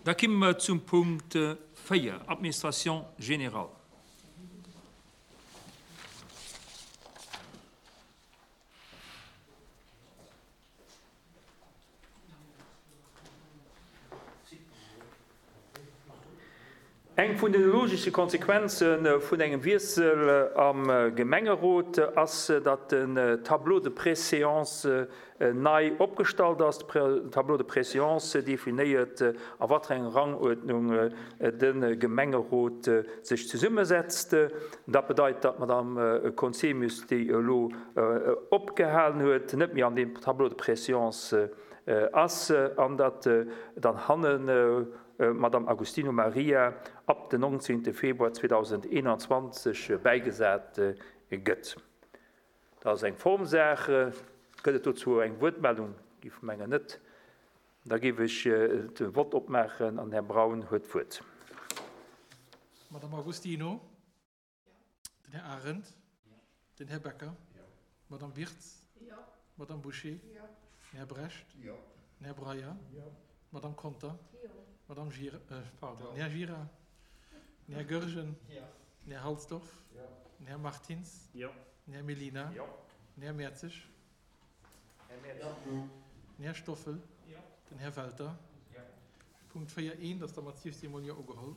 Da kimme mer zum Punkt 4, Administration générale. Eng vun de logesche Konsequenze vun engem Wiessel am Gemengerot ass, datt den Tableau de préséance nei opgestallt ass. Den Tableau de préséance definéiert, a wat fir enger Ranguerdnung de Gemengerot sech zesummesetzt. Dat bedeit, datt d'Madame Conzemius, déi elo opgehalen huet, net méi an deem Tableau de préséance ass an datt dann hannen D'Madame Agostino Maria ab den 19 Februar 2021 bäigesat gëtt. Dat ass eng Formsaach. Gëtt et dozou eng Wuertmeldung? Géif mengen net. Da géif ech de Vott opmaachen an den Här Braun huet d'Wuert. Madame Agostino. Den Här Arendt. Den Här Becker. D'Madame Wirtz. D'Madame Bouché. Den Här Brecht. Den Här Breyer. D'Madame Conter. D'Madame Gira, pardon, den Här Gira. Den Här Goergen. Den Här Halsdorf. Den Här Martins. Den Här Mellina. Den Här Mertzig. Den Här Stoffel. Den Här Welter. Punkt 4, 1 ass der Mathieu Simon jo ugeholl.